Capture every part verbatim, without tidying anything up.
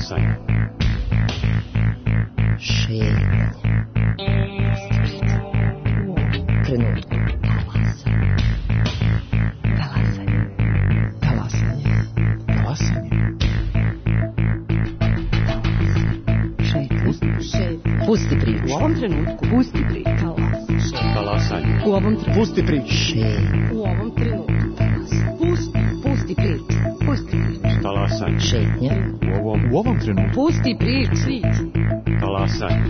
Talasanje. Šetnje. Trenutku. Talasanje. Talasanje. Talasanje. Šetnje. Šetnje. Pusti priču. U ovom trenutku. Pusti priču. Talasanje. U ovom trenutku. Pusti priču. Šetnje. U ovom trenutku. Pusti, pusti priču. Pusti priču. Talasanje. Šetnje. U ovom, u ovom trenutku. Pusti priču. Talasanje.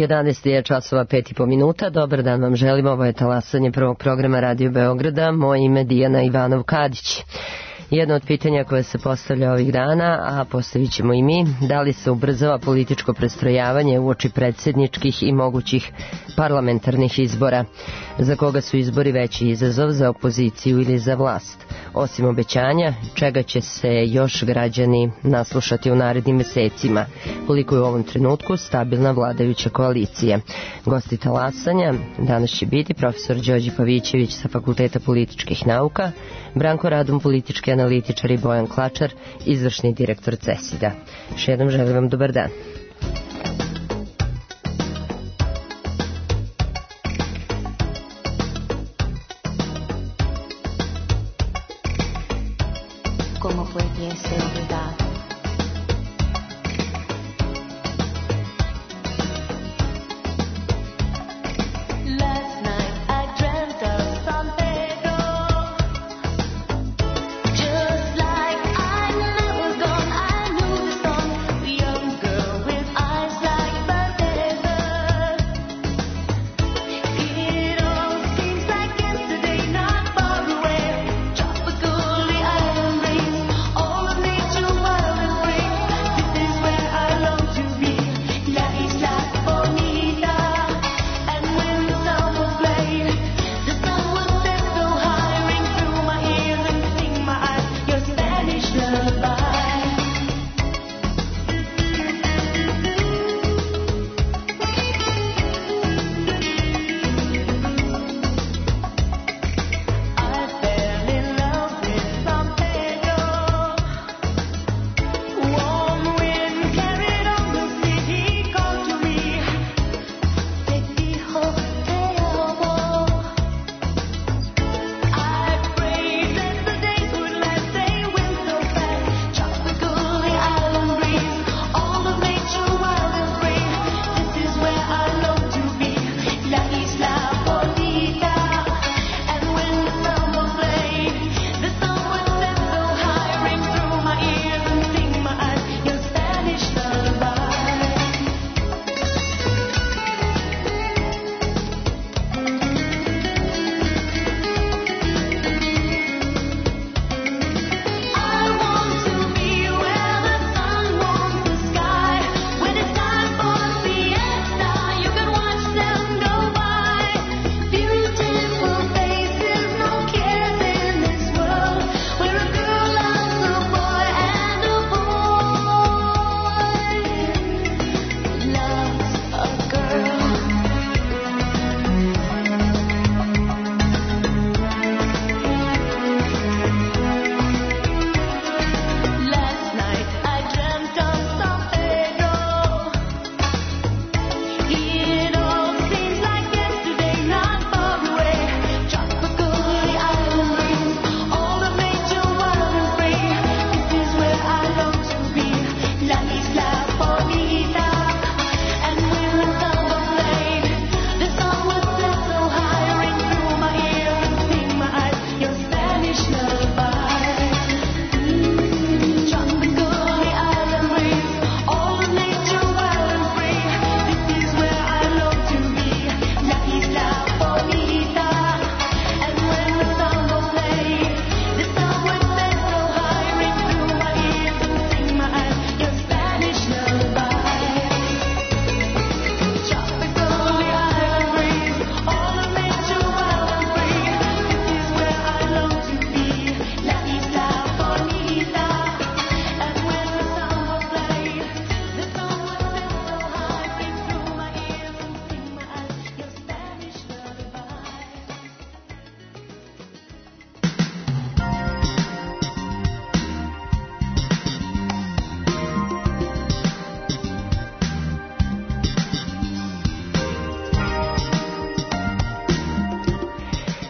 jedanaest je časova pet i po minuta. Dobar dan vam želim. Ovo je talasanje prvog programa Radio Beograda. Moje ime je Dijana Ivanov-Kadić. Jedno od pitanja koje se postavlja ovih dana, a postavit ćemo i mi, da li se ubrzava političko prestrojavanje uoči predsjedničkih i mogućih parlamentarnih izbora? Za koga su izbori veći izazov, za opoziciju ili za vlast? Osim obećanja, čega će se još građani naslušati u narednim mesecima? Koliko je u ovom trenutku stabilna vladajuća koalicija? Gosti talasanja danas će biti profesor Đorđe Pavićević sa Fakulteta političkih nauka, Branko Radun, politički analitičar, i Bojan Klačar, izvršni direktor CESID-a. Još jednom želim vam dobar dan. ¿Cómo pudiese olvidar? Last night I dreamt of San Pedro, just like I never gone. I knew the song, the young girl with eyes like the desert. It all seems like yesterday, not far away. Tropical, the island breeze, all of nature wild.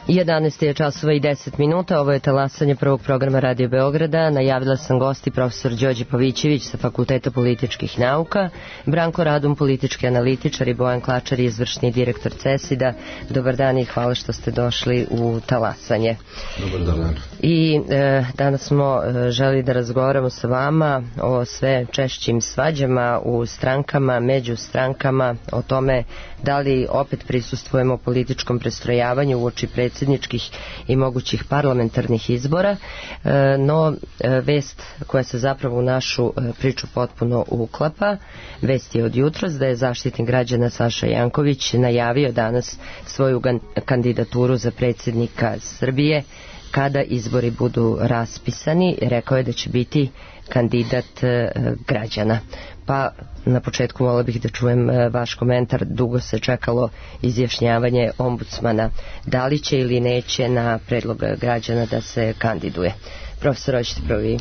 jedanaest je časova i deset minuta, ovo je talasanje prvog programa Radio Beograda. Najavila sam gosti profesor Đorđe Pavićević sa Fakulteta političkih nauka, Branko Radun, politički analitičar, i Bojan Klačar, izvršni direktor CESID-a. Dobar dan i hvala što ste došli u talasanje. Dobar dan. I e, danas smo e, želi da razgovaramo sa vama o sve češćim svađama u strankama, među strankama, o tome da li opet prisustvujemo političkom prestrojavanju uoči predsjedničkih i mogućih parlamentarnih izbora, e, no e, vest koja se zapravo u našu e, priču potpuno uklapa, vest je od jutros da je Zaštitnik građana Saša Janković najavio danas svoju gan- kandidaturu za predsjednika Srbije kada izbori budu raspisani. Rekao je da će biti kandidat e, građana. Pa na početku volila bih da čujem e, vaš komentar. Dugo se čekalo izjašnjavanje ombudsmana. Da li će ili neće na predlog građana da se kandiduje? Profesor, hoćete prvi?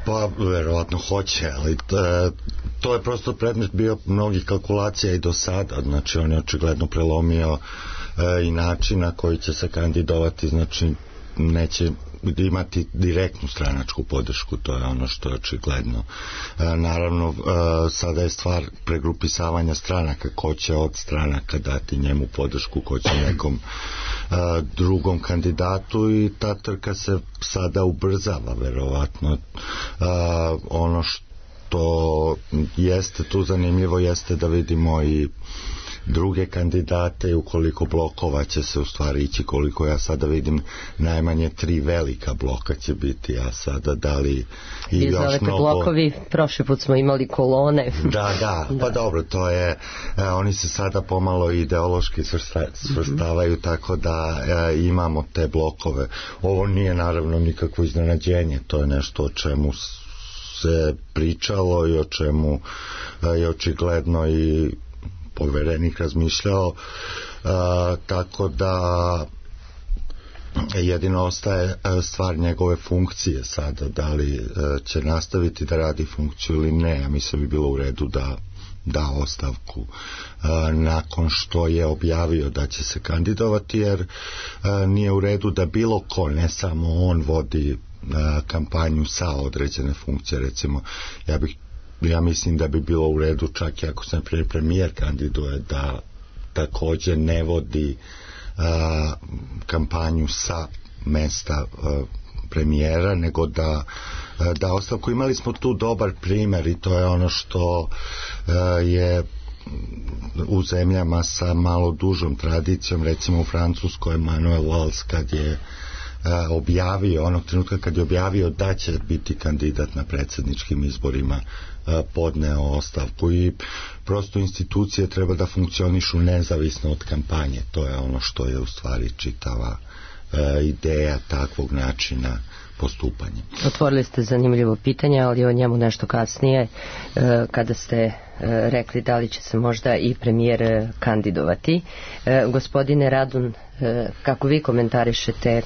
Pa, verovatno hoće, ali t, to je prosto predmet bio mnogih kalkulacija i do sada. Znači, on je očigledno prelomio e, i način na koji će se kandidovati, znači neće imati direktnu stranačku podršku, to je ono što je očigledno. E, naravno, e, sada je stvar pregrupisavanja stranaka, ko će od stranaka dati njemu podršku, ko će nekom e, drugom kandidatu, i ta trka se sada ubrzava, verovatno. E, ono što jeste tu zanimljivo jeste da vidimo i druge kandidate, i ukoliko blokova će se u stvari ići, koliko ja sada vidim, najmanje tri velika bloka će biti, a sada da li i Vi još zovete mnogo... blokovi, prošli put smo imali kolone. Da, da, pa da. Dobro, to je, e, oni se sada pomalo ideološki svrsta, svrstavaju, mm-hmm. tako da e, imamo te blokove. Ovo nije naravno nikakvo iznenađenje, to je nešto o čemu se pričalo i o čemu e, je očigledno i poverenik razmišljao, a, tako da jedino ostaje stvar njegove funkcije sada, da li a, će nastaviti da radi funkciju ili ne. Ja mislim bi bilo u redu da da ostavku a, nakon što je objavio da će se kandidovati, jer a, nije u redu da bilo ko, ne samo on, vodi a, kampanju sa određene funkcije. Recimo, ja bih ja mislim da bi bilo u redu, čak i ako se naprimjer premijer kandiduje, da također ne vodi a, kampanju sa mesta a, premijera, nego da a, da ostavku. Imali smo tu dobar primjer, i to je ono što a, je u zemljama sa malo dužom tradicijom, recimo u Francuskoj Manuel Valls, kad je a, objavio, onog trenutka kad je objavio da će biti kandidat na predsjedničkim izborima, podneo ostavku, i prosto institucije treba da funkcionišu nezavisno od kampanje. To je ono što je u stvari čitava e, ideja takvog načina postupanja. Otvorili ste zanimljivo pitanje, ali o njemu nešto kasnije, e, kada ste e, rekli da li će se možda i premijer kandidovati. E, gospodine Radun, e, kako vi komentarišete e,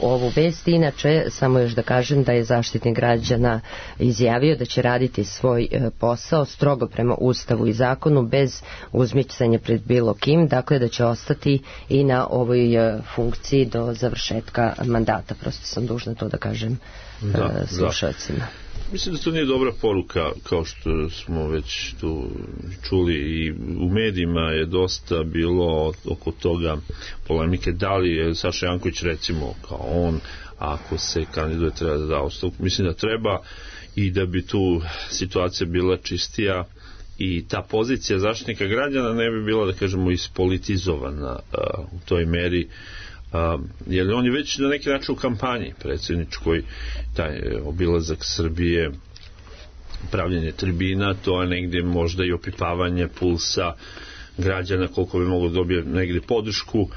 ovu vest? Inače, samo još da kažem da je Zaštitnik građana izjavio da će raditi svoj e, posao strogo prema Ustavu i zakonu, bez uzmicanja pred bilo kim, dakle da će ostati i na ovoj e, funkciji do završetka mandata. Prosto sam dužna to da kažem da, e, slušalcima. Da. Mislim da to nije dobra poruka, kao što smo već tu čuli, i u medijima je dosta bilo oko toga polemike, da li je Saša Janković, recimo, kao on, ako se kandiduje, treba da da ostavku. Mislim da treba, i da bi tu situacija bila čistija i ta pozicija Zaštitnika građana ne bi bila, da kažemo, ispolitizovana uh, u toj meri. Uh, jer on je već na neki način u kampanji predsjedničkoj, taj obilazak Srbije, pravljenje tribina, to je negdje možda i opipavanje pulsa građana, koliko bi moglo dobije negdje podršku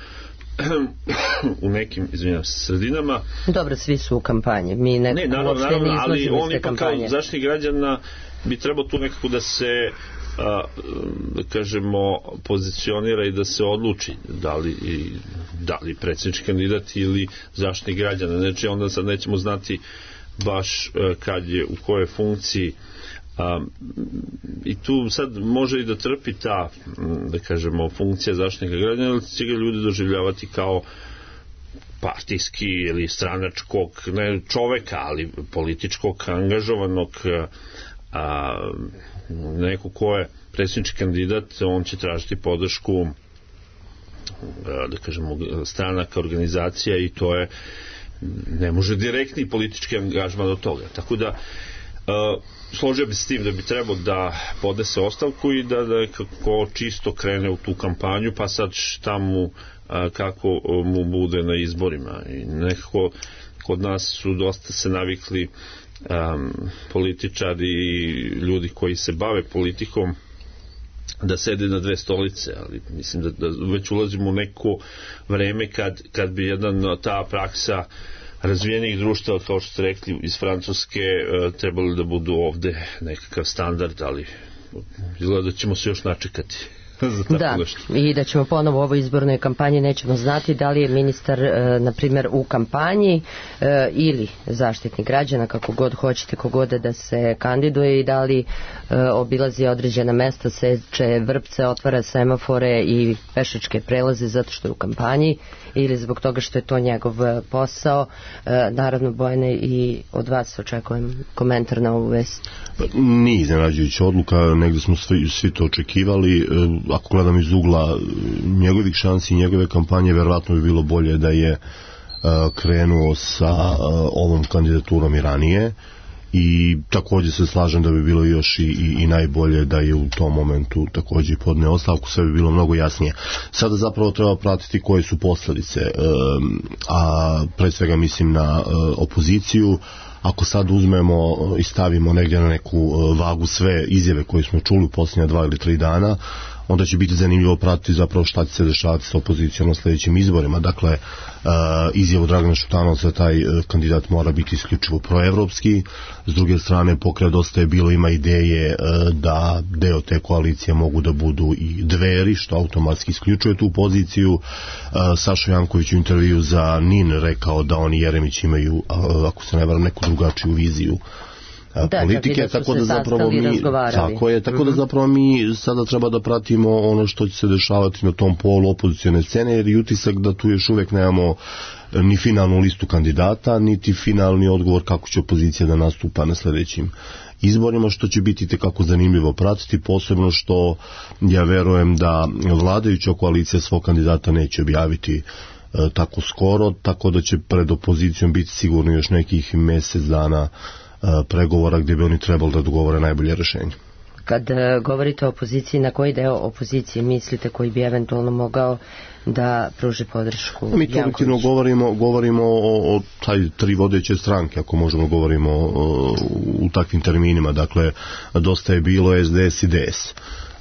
u nekim, izvinjam se, sredinama. Dobro, svi su u kampanji. Mi ne, ne naravno, naravno, ali on ipak kao Zaštitnik građana bi trebao tu nekako da se a, da kažemo pozicionira i da se odluči da li, da li predsjednički kandidat ili Zaštitnik građana. Znači onda sad nećemo znati baš a, kad je u kojoj funkciji. Um, i tu sad može i da trpi ta, da kažemo, funkcija Zaštitnika građana, ali će ga ljudi doživljavati kao partijski ili stranačkog ne čoveka, ali političkog angažovanog a, neko ko je predsjednički kandidat, on će tražiti podršku da kažemo stranaka, organizacija i to je ne može direktni politički angažman od toga. Tako da uh, složio bi se s tim da bi trebao da podnese ostavku i da, da kako čisto krene u tu kampanju, pa sad šta mu uh, kako mu bude na izborima. I nekako kod nas su dosta se navikli um, političari i ljudi koji se bave politikom da sede na dve stolice, ali mislim da, da već ulazimo u neko vreme kad, kad bi jedan ta praksa razvijenih društava, kao što ste rekli, iz Francuske trebali da budu ovde nekakav standard, ali izgleda da ćemo se još načekati. Da, i da ćemo ponovo u ovoj izbornoj kampanji nećemo znati da li je ministar, e, na primjer, u kampanji e, ili zaštitnik građana, kako god hoćete, kogod da se kandiduje i da li e, obilazi određena mesta, seče vrpce, otvara semafore i pešačke prelaze zato što je u kampanji ili zbog toga što je to njegov posao. E, naravno, Bojane, i od vas očekujem komentar na ovu vest. Nije iznenađujuća odluka, negde smo svi, svi to očekivali. Ako gledam iz ugla njegovih šansi i njegove kampanje, verovatno bi bilo bolje da je krenuo sa ovom kandidaturom i ranije, i također se slažem da bi bilo još i, i, i najbolje da je u tom momentu također podneo ostavku, sve bi bilo mnogo jasnije. Sada zapravo treba pratiti koje su posljedice, a pre svega mislim na opoziciju. Ako sad uzmemo i stavimo negdje na neku vagu sve izjave koje smo čuli u posljednja dva ili tri dana, onda će biti zanimljivo pratiti zapravo šta će se dešavati sa opozicijom na sljedećim izborima. Dakle, izjavu Dragana Šutanovca, taj kandidat mora biti isključivo proevropski. S druge strane, pokret Dosta je bilo ima ideje da deo te koalicije mogu da budu i Dveri, što automatski isključuje tu poziciju. Saša Janković u intervju za N I N rekao da oni Jeremić imaju, ako se ne varam, neku drugačiju viziju Da, politike, tako da zapravo mi tako je, tako da zapravo mi sada treba da pratimo ono što će se dešavati na tom polu opozicione scene, jer je utisak da tu još uvijek nemamo ni finalnu listu kandidata, niti finalni odgovor kako će opozicija da nastupa na sljedećim izborima, što će biti tekako zanimljivo pratiti, posebno što ja verujem da vladajuća koalicija svog kandidata neće objaviti e, tako skoro, tako da će pred opozicijom biti sigurno još nekih mjesec dana pregovora gdje bi oni trebali da dogovore najbolje rješenje. Kad govorite o opoziciji, na koji deo opozicije mislite koji bi eventualno mogao da pruži podršku Jankoviću? Mi kolektivno govorimo, govorimo o, o taj tri vodeće stranke, ako možemo govorimo o, u takvim terminima. Dakle, Dosta je bilo S D S i D S.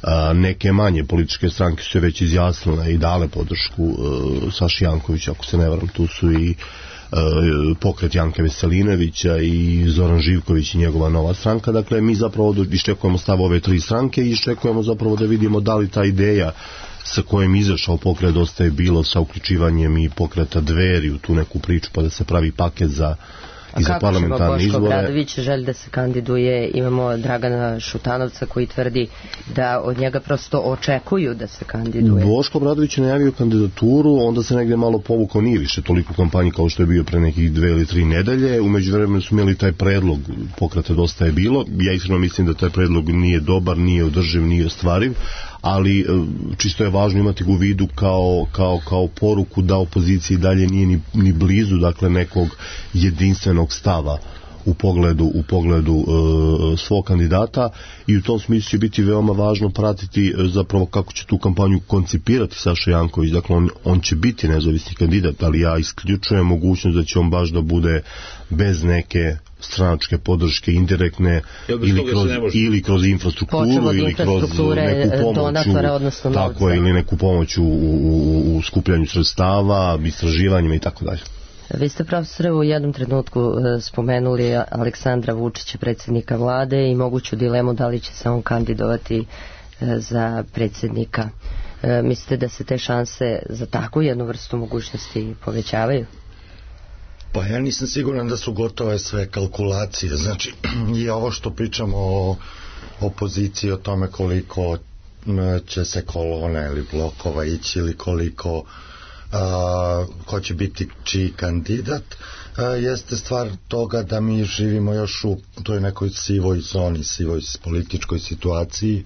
A, neke manje političke stranke su se već izjasnile i dale podršku uh, Saši Jankovića, ako se ne varam, tu su i pokret Janka Veselinovića i Zoran Živković i njegova nova stranka. Dakle, mi zapravo iščekujemo stav ove tri stranke i iščekujemo zapravo da vidimo da li ta ideja sa kojim izašao pokret Dosta je bilo sa uključivanjem i pokreta Dveri u tu neku priču, pa da se pravi paket za i za parlamentarne izbore. A kako Boško Obradović želi da se kandiduje? Imamo Dragana Šutanovca koji tvrdi da od njega prosto očekuju da se kandiduje. Boško Obradović je najavio kandidaturu, onda se negdje malo povukao, nije više toliko kampanji kao što je bio pre nekih dve ili tri nedelje. U međuvremenu su imali taj predlog pokreta Dosta je bilo. Ja iskreno mislim da taj predlog nije dobar, nije održiv, nije ostvariv, ali čisto je važno imati ga u vidu kao, kao, kao poruku da opoziciji dalje nije ni, ni blizu, dakle, nekog jedinstvenog stava u pogledu, u pogledu e, svog kandidata, i u tom smislu će biti veoma važno pratiti e, zapravo kako će tu kampanju koncipirati Saša Janković. Dakle, on, on će biti nezavisni kandidat, ali ja isključujem mogućnost da će on baš da bude bez neke stranačke podrške indirektne ili kroz, ili kroz infrastrukturu ili kroz neku pomoć, tako je, ili neku pomoć u, u, u skupljanju sredstava, istraživanjima i tako dalje. Vi ste, profesore, u jednom trenutku spomenuli Aleksandra Vučića, predsjednika vlade, i moguću dilemu da li će se on kandidovati za predsjednika. Mislite da se te šanse za takvu jednu vrstu mogućnosti povećavaju? Pa ja nisam siguran da su gotove sve kalkulacije. Znači, i ovo što pričamo o opoziciji, o tome koliko će se kolona ili blokova ići ili koliko a, ko će biti čiji kandidat, a, jeste stvar toga da mi živimo još u toj nekoj sivoj zoni, sivoj političkoj situaciji,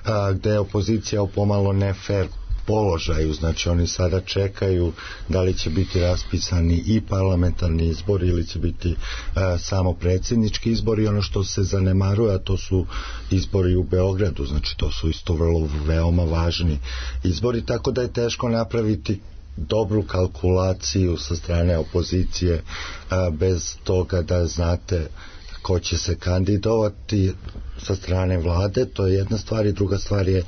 a, gde je opozicija pomalo ne fair položaju, znači oni sada čekaju da li će biti raspisani i parlamentarni izbori ili će biti e, samo predsjednički izbori. Ono što se zanemaruje, a to su izbori u Beogradu, znači to su isto vrlo veoma važni izbori, tako da je teško napraviti dobru kalkulaciju sa strane opozicije e, bez toga da znate ko će se kandidovati sa strane vlade. To je jedna stvar, i druga stvar je e,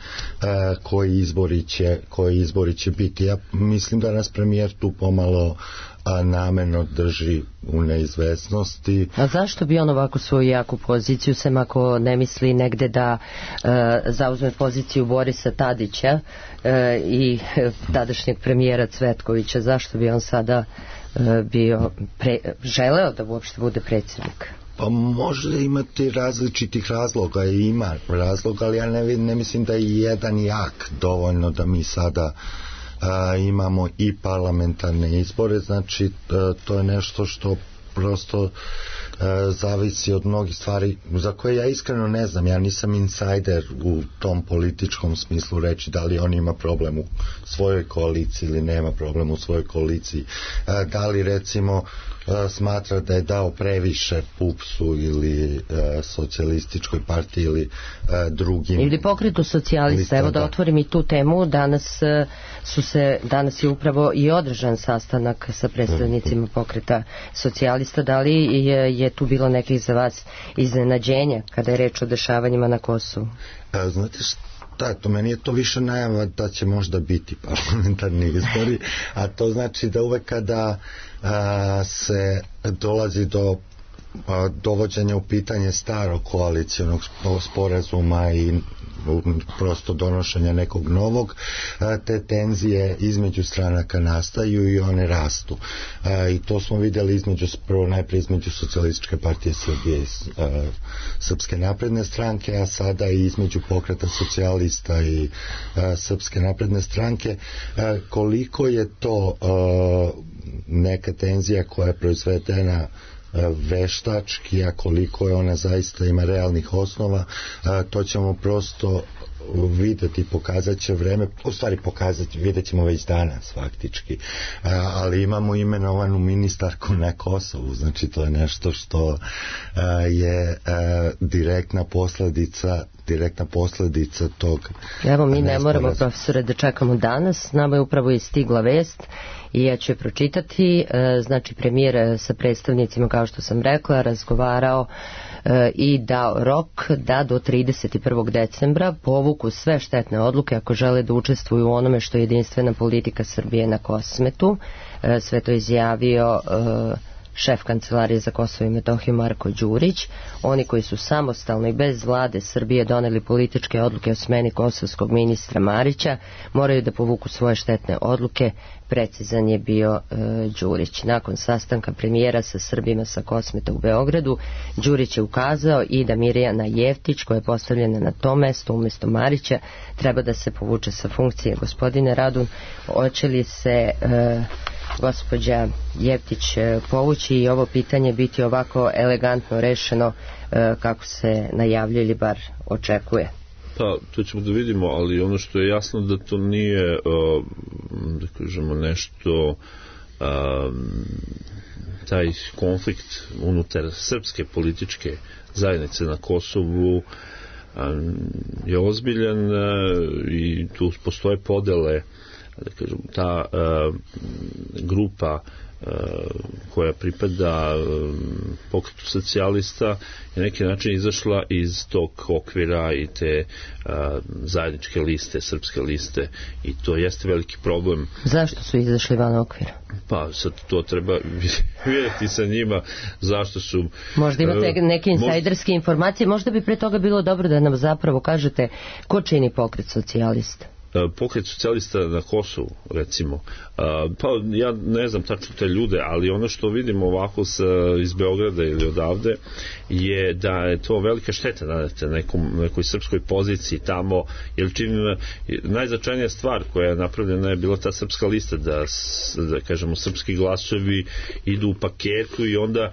koji izbori će koji izbori će biti. Ja mislim da nas premijer tu pomalo a, namerno drži u neizvesnosti. A zašto bi on ovako svoju jaku poziciju, sem ako ne misli negde da e, zauzme poziciju Borisa Tadića e, i e, tadašnjeg premijera Cvetkovića, zašto bi on sada e, bio pre, želeo da uopšte bude predsjednik? Pa može imati različitih razloga i ima razloga, ali ja ne, ne mislim da je jedan jak dovoljno da mi sada a, imamo i parlamentarne izbore, znači a, to je nešto što prosto e, zavisi od mnogih stvari za koje ja iskreno ne znam. Ja nisam insajder u tom političkom smislu reći da li on ima problem u svojoj koaliciji ili nema problem u svojoj koaliciji, e, da li recimo e, smatra da je dao previše P U P S-u ili e, socijalističkoj partiji ili e, drugim ili pokretu socijalista. Evo da otvorim i tu temu. Danas e, su se danas je upravo i održan sastanak sa predstavnicima pokreta socijalista. Da li je, je tu bilo nekih za vas iznenađenja kada je reč o dešavanjima na Kosovu? E, znate šta, to meni je to više najava da će možda biti parlamentarni izbori, a to znači da uvek kada a, se dolazi do a, dovođenja u pitanje starog koalicijonog sporazuma i prosto donošenja nekog novog, te tenzije između stranaka nastaju i one rastu. I to smo vidjeli između, prvo najprije između Socijalističke partije Srbije i Srpske napredne stranke, a sada i između pokreta socijalista i Srpske napredne stranke. Koliko je to neka tenzija koja je proizvedena veštački, a koliko je ona zaista ima realnih osnova, to ćemo prosto videti, pokazat će vreme, u stvari pokazati, vidjet ćemo već danas faktički, ali imamo imenovanu ministarku na Kosovu, znači to je nešto što je direktna posledica direktna posledica tog. Evo mi ne moramo, profesore, da čekamo danas, nama je upravo i stigla vest i ja ću je pročitati. Znači premijer sa predstavnicima, kao što sam rekla, razgovarao i dao rok da do trideset prvog decembra povuku sve štetne odluke ako žele da učestvuju u onome što je jedinstvena politika Srbije na Kosmetu. Sve to izjavio šef Kancelarije za Kosovo i Metohiju Marko Đurić. Oni koji su samostalno i bez vlade Srbije doneli političke odluke o smeni kosovskog ministra Marića moraju da povuku svoje štetne odluke, precizan je bio e, Đurić. Nakon sastanka premijera sa Srbima sa Kosmeta u Beogradu, Đurić je ukazao i da Mirjana Jeftić, koja je postavljena na to mesto umjesto Marića, treba da se povuče sa funkcije. Gospodine Radun, hoće li se e, gospođa Jeftić povući i ovo pitanje biti ovako elegantno rešeno kako se najavljuje ili bar očekuje? Pa, to ćemo da vidimo, ali ono što je jasno da to nije da kažemo nešto taj konflikt unutar srpske političke zajednice na Kosovu je ozbiljan i tu postoje podele, da kažem, ta uh, grupa uh, koja pripada uh, pokretu socijalista je na neki način izašla iz tog okvira i te uh, zajedničke liste, srpske liste, i to jeste veliki problem. Zašto su izašli van okvira? Pa sad to treba vidjeti sa njima zašto su... Možda imate neke insajderske informacije, možda bi pre toga bilo dobro da nam zapravo kažete ko čini pokret socijalista. pokret socijalista na Kosovu, recimo, pa ja ne znam tačno te ljude, ali ono što vidimo ovako sa, iz Beograda ili odavde je da je to velika šteta na nekom, nekoj srpskoj poziciji tamo, jer čini najznačajnija stvar koja je napravljena je bila ta srpska lista, da, da kažemo srpski glasovi idu u paketu i onda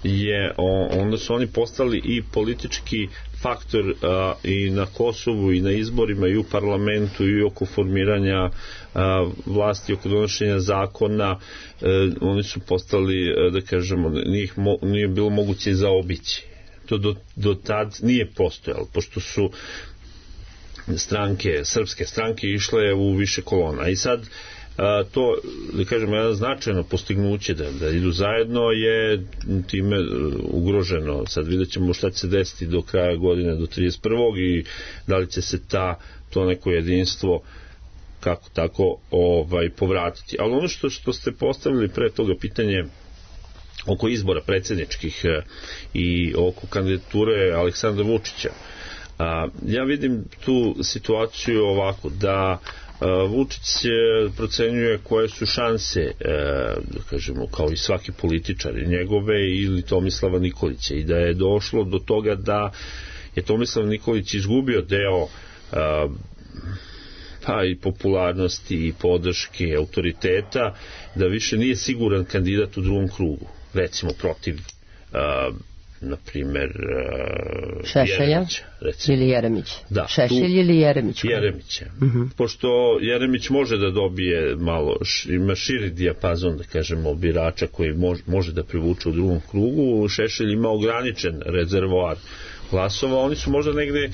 je, onda su oni postali i politički faktor a, i na Kosovu i na izborima i u parlamentu i oko formiranja a, vlasti, oko donošenja zakona. E, oni su postali, da kažemo, nije, mo, nije bilo moguće zaobići. To do, do tad nije postojalo, pošto su stranke, srpske stranke išle u više kolona. I sad a, to, da kažemo, jedno značajno postignuće da, da idu zajedno je time ugroženo. Sad vidjet ćemo šta će se desiti do kraja godine, do trideset prvog i da li će se ta, to neko jedinstvo kako tako ovaj, povratiti. Ali ono što, što ste postavili pre toga pitanje oko izbora predsjedničkih i oko kandidature Aleksandra Vučića, a, ja vidim tu situaciju ovako, da Vučić procenjuje koje su šanse, da kažemo, kao i svaki političar, njegove ili Tomislava Nikolića, i da je došlo do toga da je Tomislav Nikolić izgubio deo pa i popularnosti i podrške, autoriteta, da više nije siguran kandidat u drugom krugu, recimo protiv na primjer Šešelja Jeremića, recimo. Ili Jeremić. Da, Šešelj ili Jeremić? Jeremića. Uh-huh. Pošto Jeremić može da dobije malo, ima širi dijapazon, da kažemo, birača koji može, može da privuče u drugom krugu, Šešelj ima ograničen rezervoar glasova, oni su možda negde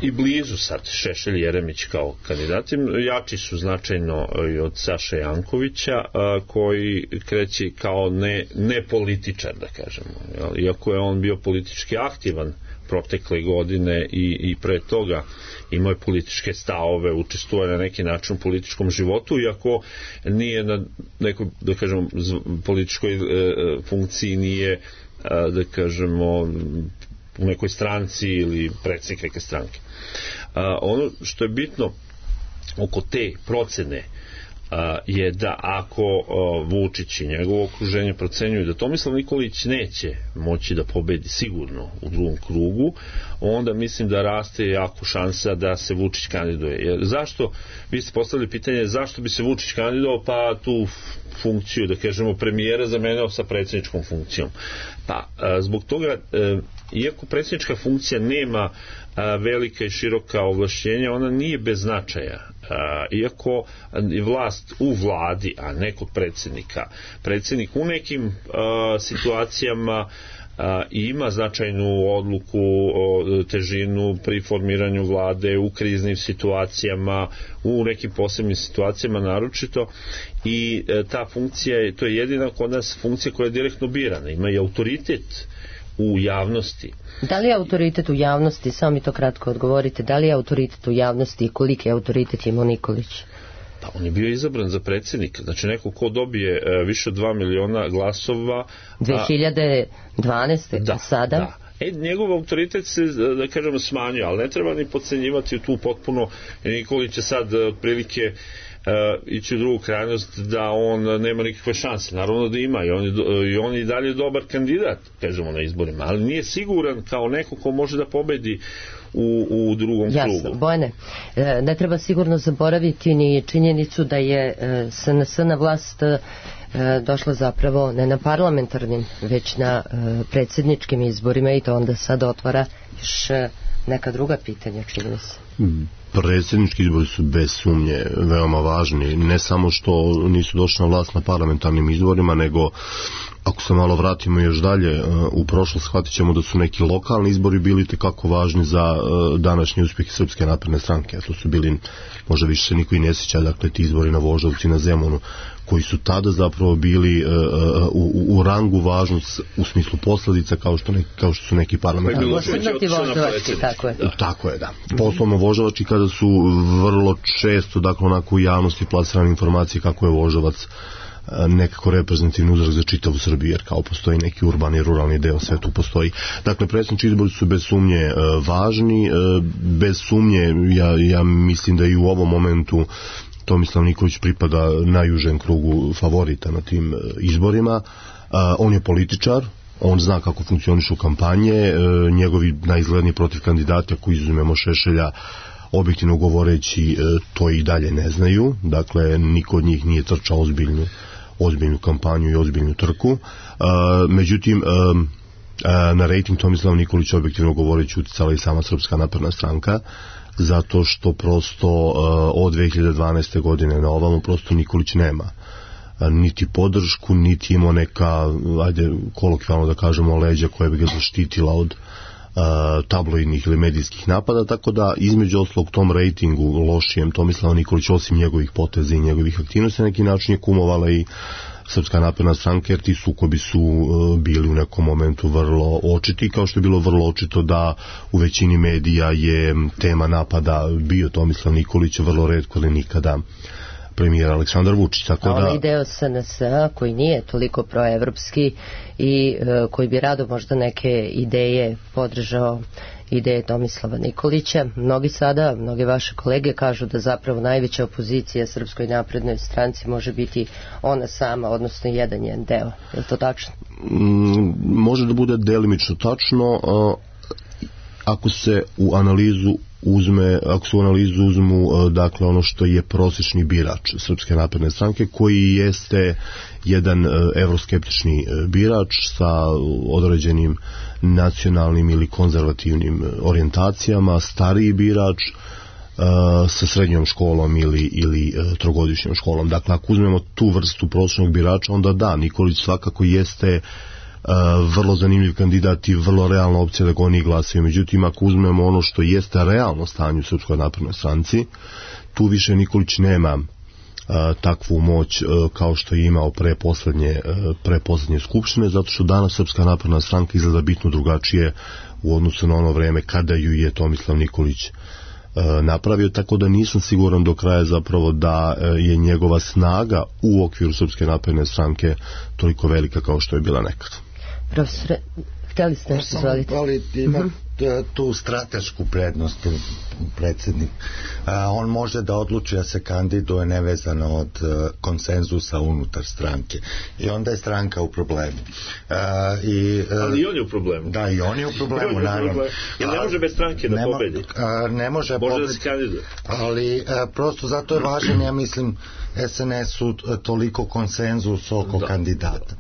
i blizu sad, Šešelj i Jeremić kao kandidati. Jači su značajno i od Saše Jankovića, a, koji kreće kao ne, ne političar, da kažemo. Jel? Iako je on bio politički aktivan protekle godine i, i pre toga imao je političke stavove, učestvuje na neki način u političkom životu, iako nije na nekoj, da kažemo, političkoj e, funkciji, nije, a, da kažemo, u nekoj stranci ili predsjednik neke stranke. A, ono što je bitno oko te procene a, je da ako a, Vučić i njegovo okruženje procenjuju da Tomislav Nikolić neće moći da pobedi sigurno u drugom krugu, onda mislim da raste jako šansa da se Vučić kandiduje. Jer zašto, vi ste postavili pitanje zašto bi se Vučić kandidovao, pa tu funkciju, da kažemo, premijera zamenio sa predsjedničkom funkcijom. Pa, a, zbog toga, a, iako predsjednička funkcija nema a, velika i široka ovlašćenja, ona nije bez značaja. A, iako je vlast u vladi, a ne kod predsjednika, predsjednik u nekim a, situacijama a, ima značajnu odluku, o, težinu pri formiranju vlade, u kriznim situacijama, u nekim posebnim situacijama naročito, i a, ta funkcija, to je jedina kod nas funkcija koja je direktno birana, ima i autoritet u javnosti. Da li je autoritet u javnosti, samo mi to kratko odgovorite, da li je autoritet u javnosti i koliki je autoritet imao Nikolić? Pa on je bio izabran za predsjednika, znači neko ko dobije e, više od dva miliona glasova. dve hiljade dvanaeste. Da, sada? Da. E, njegov autoritet se, da kažemo, smanjuje, ali ne treba ni podcenjivati tu potpuno. Nikolić je sad otprilike uh, ići u drugu krajnost da on nema nikakve šanse. Naravno da ima i on je, i on je dalje dobar kandidat, kažemo, na izborima, ali nije siguran kao neko ko može da pobedi u, u drugom Jasno, krugu. Bojane, ne treba sigurno zaboraviti ni činjenicu da je S N S na vlast došla zapravo ne na parlamentarnim, već na predsjedničkim izborima, i to onda sad otvara još neka druga pitanja, čini mi se. Predsjednički izbori su bez sumnje veoma važni, ne samo što nisu došli na vlast na parlamentarnim izborima, nego ako se malo vratimo još dalje u prošlost, shvatit ćemo da su neki lokalni izbori bili tekako važni za današnji uspjeh Srpske napredne stranke, a to su bili, možda više se niko i ne sjeća, dakle ti izbori na Voždovcu i na Zemunu, koji su tada zapravo bili uh, u, u rangu važnost u smislu posljedica kao što, ne, kao što su neki parlamentarni. Posebno ti Voždovački, tako je. Da. Tako je, da. Poslovno Voždovački, kada su vrlo često, dakle, onako u javnosti plasirane informacije kako je Voždovac nekako reprezentativni uzorak za čitavu Srbiju, jer kao postoji neki urbani, ruralni deo, sve tu postoji. Dakle, predsjednički izbori su bez sumnje važni, bez sumnje ja, ja mislim da i u ovom momentu Tomislav Nikolić pripada najužem krugu favorita na tim izborima. On je političar, on zna kako funkcionišu kampanje, njegovi najizgledniji protiv kandidata, ako izuzmemo Šešelja, objektivno govoreći, to i dalje ne znaju. Dakle, niko od njih nije trčao ozbiljnu, ozbiljnu kampanju i ozbiljnu trku. Međutim, na rejting Tomislava Nikolića objektivno govoreći uticala i sama Srpska napredna stranka, zato što prosto od dve hiljade dvanaeste. godine na ovamo prosto Nikolić nema niti podršku, niti imao neka, ajde kolokvijalno da kažemo, leđa koja bi ga zaštitila od uh, tabloidnih ili medijskih napada, tako da između oslog tom rejtingu lošijem Tomislava Nikolić, osim njegovih poteza i njegovih aktivnosti, na neki način je kumovala i Srpska napredna stranka, jer ti sukobi su uh, bili u nekom momentu vrlo očiti, kao što je bilo vrlo očito da u većini medija je tema napada bio Tomislav Nikolić, vrlo retko ili nikada premijer Aleksandar Vučić. Tako da... A onaj deo S N S-a koji nije toliko proevropski i uh, koji bi rado možda neke ideje podržao, ideje Tomislava Nikolića. Mnogi sada, mnogi vaše kolege kažu da zapravo najveća opozicija Srpskoj naprednoj stranci može biti ona sama, odnosno jedan njen deo. Je li to tačno? Mm, može da bude delimično tačno, a, ako se u analizu uzme, ako se u analizu uzmu dakle ono što je prosječni birač Srpske napredne stranke, koji jeste jedan evroskeptični birač sa određenim nacionalnim ili konzervativnim orijentacijama, stariji birač sa srednjom školom ili, ili trogodišnjom školom. Dakle, ako uzmemo tu vrstu prosječnog birača, onda da, Nikolić svakako jeste Uh, vrlo zanimljiv kandidat i vrlo realna opcija da ga oni glasaju. Međutim, ako uzmemo ono što jeste realno stanje u Srpskoj naprednoj stranci, tu više Nikolić nema uh, takvu moć uh, kao što je imao pre poslednje, uh, pre poslednje skupštine, zato što danas Srpska napredna stranka izgleda bitno drugačije u odnosu na ono vreme kada ju je Tomislav Nikolić uh, napravio, tako da nisam siguran do kraja zapravo da uh, je njegova snaga u okviru Srpske napredne stranke toliko velika kao što je bila nekad. Profesore, htjeli ste nešto izvoliti? Ali ima tu stratešku prednost predsjednik. On može da odluči da se kandiduje nevezano od konsenzusa unutar stranke. I onda je stranka u problemu. I, ali i on je u problemu. Da, i on je u problemu, naravno. Jer ne može bez stranke da ne pobedi. Ne može, može da se kandiduje. Ali prosto zato je važan, ja mislim, S N S-u toliko konsenzus oko da. kandidata.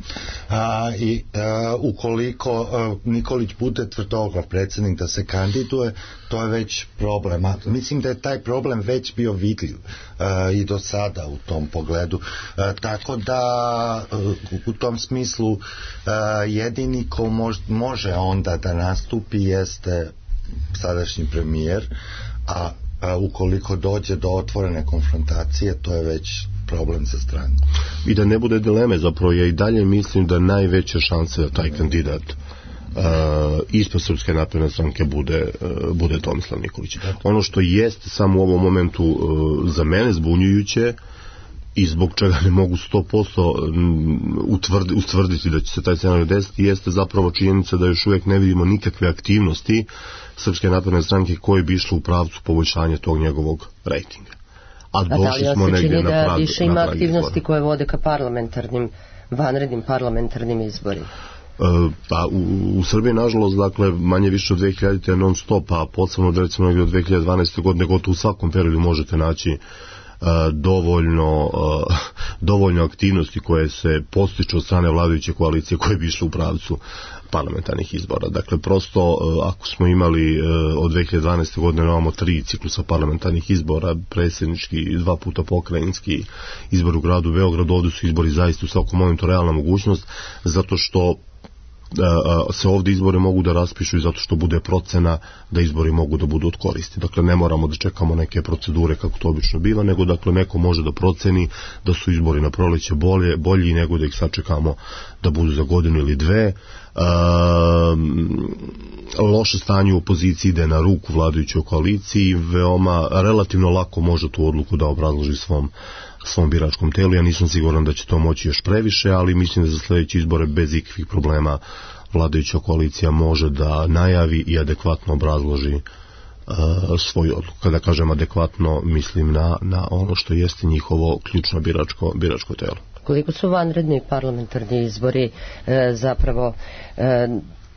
A, I a, ukoliko a, Nikolić bude tvrdoglav predsjednik da se kandiduje, to je već problem. A, mislim da je taj problem već bio vidljiv a, i do sada u tom pogledu. A, tako da a, u tom smislu a, jedini ko mož, može onda da nastupi jeste sadašnji premijer, a A ukoliko dođe do otvorene konfrontacije, to je već problem za stranku. I da ne bude dileme, zapravo ja i dalje mislim da najveća šansa da taj kandidat uh, ispred Srpske napredne stranke bude, uh, bude Tomislav Nikolić. Ono što jeste samo u ovom momentu uh, za mene zbunjujuće i zbog čega ne mogu sto posto utvrdi, utvrditi da će se taj scenarij desiti, jeste zapravo činjenica da još uvijek ne vidimo nikakve aktivnosti Srpske napredne stranke koje bi išle u pravcu poboljšanja tog njegovog rejtinga. A došli da, smo negdje na prag, da više ima aktivnosti izbora. koje vode ka parlamentarnim, vanrednim parlamentarnim izborima. Pa u, u Srbiji nažalost, dakle, manje više od dve hiljadite non stop, a posebno da recimo negdje od dve hiljade dvanaeste. godine, gotovo u svakom periodu možete naći uh, dovoljno uh, dovoljno aktivnosti koje se postiču od strane vladajuće koalicije koje bi išle u pravcu parlamentarnih izbora. Dakle, prosto, uh, ako smo imali uh, od dve hiljade dvanaeste. godine imamo tri ciklusa parlamentarnih izbora, predsjednički, dva puta pokrajinski, izbor u gradu Beogradu, ovdje su izbori zaista u svakom momentu realna mogućnost, zato što se ovdje izbori mogu da raspišu i zato što bude procena da izbori mogu da budu od koristi. Dakle, ne moramo da čekamo neke procedure kako to obično biva, nego dakle neko može da proceni da su izbori na proleće bolje, bolji nego da ih sačekamo da budu za godinu ili dve. Um, loše stanje u opoziciji ide na ruku vladajućoj koaliciji, veoma relativno lako može tu odluku da obrazloži svom svom biračkom telu. Ja nisam siguran da će to moći još previše, ali mislim da za sljedeće izbore bez ikakvih problema vladajuća koalicija može da najavi i adekvatno obrazloži uh, svoju odluku. Kada kažem adekvatno, mislim na, na ono što jeste njihovo ključno biračko, biračko telo. Koliko su vanredni parlamentarni izbori e, zapravo e,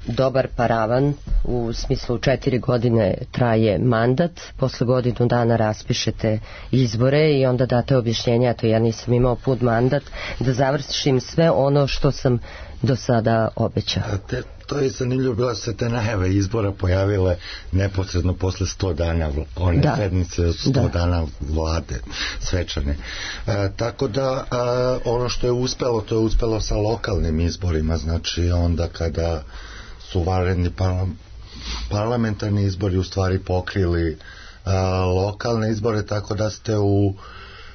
dobar paravan, u smislu četiri godine traje mandat, posle godinu dana raspišete izbore i onda date objašnjenje, a to ja nisam imao pun mandat, da završim sve ono što sam do sada obećao. Te, to je zanimljivo, bila se te najave izbora pojavile neposredno posle sto dana one da. sednice, sto da. dana vlade svečane. E, tako da e, ono što je uspelo, to je uspelo sa lokalnim izborima, znači onda kada su vanredni parla, parlamentarni izbori u stvari pokrili a, lokalne izbore, tako da ste u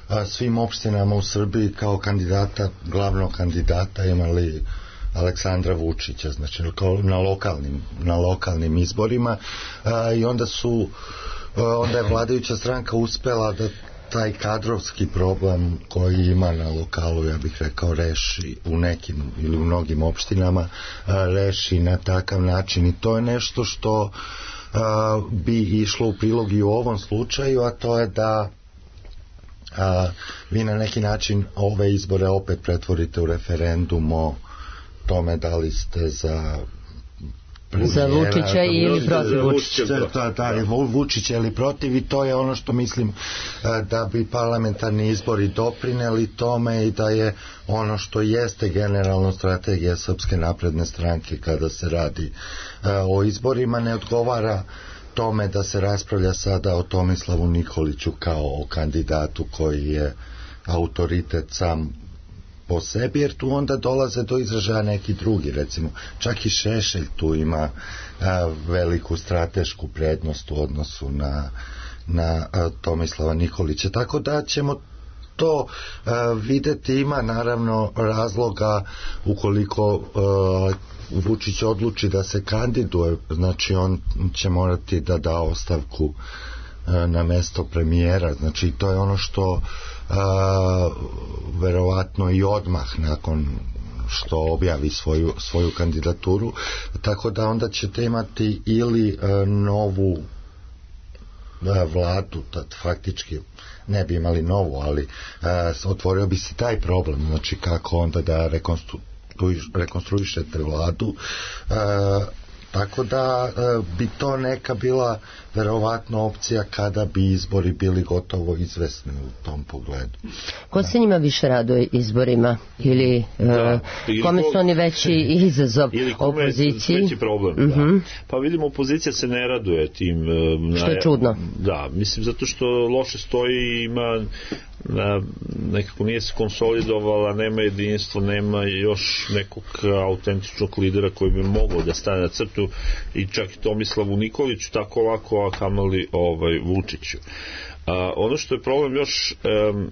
a, svim opštinama u Srbiji kao kandidata, glavnog kandidata imali Aleksandra Vučića, znači na lokalnim, na lokalnim izborima a, i onda su a, onda je vladajuća stranka uspela da taj kadrovski problem koji ima na lokalu, ja bih rekao, reši u nekim ili u mnogim opštinama, a, reši na takav način i to je nešto što a, bi išlo u prilog i u ovom slučaju, a to je da a, vi na neki način ove izbore opet pretvorite u referendum o tome da li ste za za Vučića ili protiv Vučića. Da, da, Vučića ili protiv i to je ono što mislim da bi parlamentarni izbori doprineli tome i da je ono što jeste generalno strategija Srpske napredne stranke kada se radi o izborima, ne odgovara tome da se raspravlja sada o Tomislavu Nikoliću kao o kandidatu koji je autoritet sam po sebi, jer tu onda dolaze do izražaja neki drugi, recimo čak i Šešelj tu ima a, veliku stratešku prednost u odnosu na, na a, Tomislava Nikolića, tako da ćemo to a, videti. Ima naravno razloga ukoliko a, Vučić odluči da se kandiduje, znači on će morati da da ostavku a, na mesto premijera, znači to je ono što a, verovatno i odmah nakon što objavi svoju, svoju kandidaturu, tako da onda ćete imati ili a, novu a, vladu, tad faktički ne bi imali novu, ali a, otvorio bi se taj problem, znači kako onda da rekonstru, rekonstruišete vladu, a, tako da e, bi to neka bila verovatno opcija kada bi izbori bili gotovo izvesni u tom pogledu. Ko se njima više raduje izborima ili, da, e, kome su oni veći izazov opoziciji? Ili veći problem, uh-huh. da. Pa vidimo, opozicija se ne raduje tim. E, što je čudno. Da, mislim zato što loše stoji i ima na, nekako nije se konsolidovala, nema jedinstvo, nema još nekog autentičnog lidera koji bi mogao da stane na crtu i čak i Tomislavu Nikoliću tako lako, a kamali ovaj, Vučiću. A, ono što je problem još um,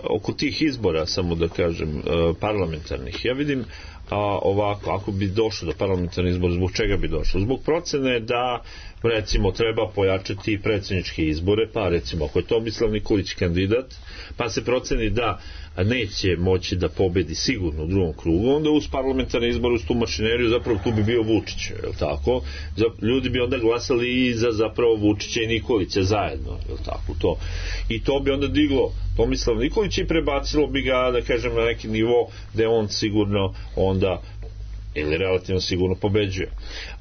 oko tih izbora, samo da kažem, uh, parlamentarnih, ja vidim a, ovako, ako bi došlo do parlamentarnih izbora, zbog čega bi došlo? Zbog procene da recimo treba pojačati predsjedničke izbore, pa recimo ako je Tomislav Nikolić kandidat, pa se proceni da neće moći da pobedi sigurno u drugom krugu, onda uz parlamentarne izbore, uz tu mašineriju, zapravo tu bi bio Vučić, je li tako? Ljudi bi onda glasali i za zapravo Vučića i Nikolića zajedno, je li tako to? I to bi onda diglo Tomislav Nikolić i prebacilo bi ga, da kažem, na neki nivo gde on sigurno onda ili relativno sigurno pobeđuje.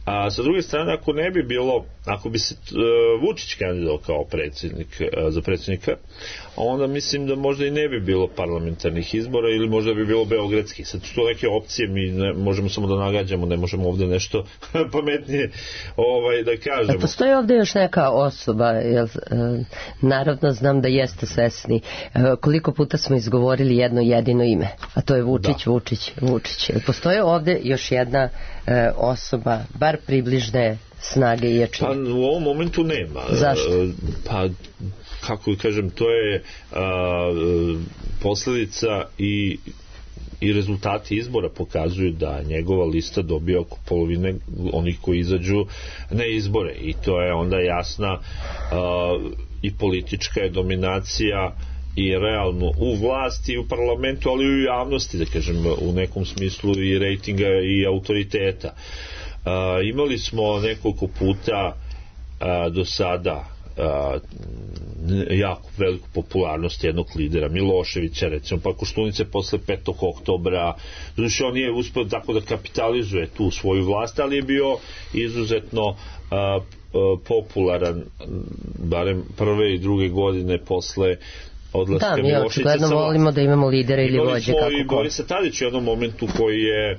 A sa druge strane, ako ne bi bilo, ako bi se uh, Vučić kandidao kao predsjednik, uh, za predsjednika, onda mislim da možda i ne bi bilo parlamentarnih izbora ili možda bi bilo beogradskih. Sad su to neke opcije, mi ne, možemo samo da nagađamo, ne možemo ovde nešto pametnije ovaj, da kažemo. A postoji ovde još neka osoba, jel, uh, naravno znam da jeste svesni, uh, koliko puta smo izgovorili jedno jedino ime, a to je Vučić, da. Vučić, Vučić. Postoji ovde još jedna uh, osoba, bar približne snage i jačine? Pa u ovom momentu nema. Zašto? Pa, kako kažem, to je a, posljedica i i rezultati izbora pokazuju da njegova lista dobija oko polovine onih koji izađu na izbore i to je onda jasna uh, i politička je dominacija i realno u vlasti i u parlamentu, ali i u javnosti, da kažem, u nekom smislu i rejtinga i autoriteta. Uh, imali smo nekoliko puta uh, do sada uh, jako veliku popularnost jednog lidera, Miloševića recimo, pa Koštunice posle petog oktobra, znači on nije uspio tako da kapitalizuje tu svoju vlast, ali je bio izuzetno uh, popularan barem prve i druge godine posle odlaska da, Miloševića. Da, mi očigledno volimo da imamo lidere ili vođe kako i Borisa Tadića u jednom momentu koji je a,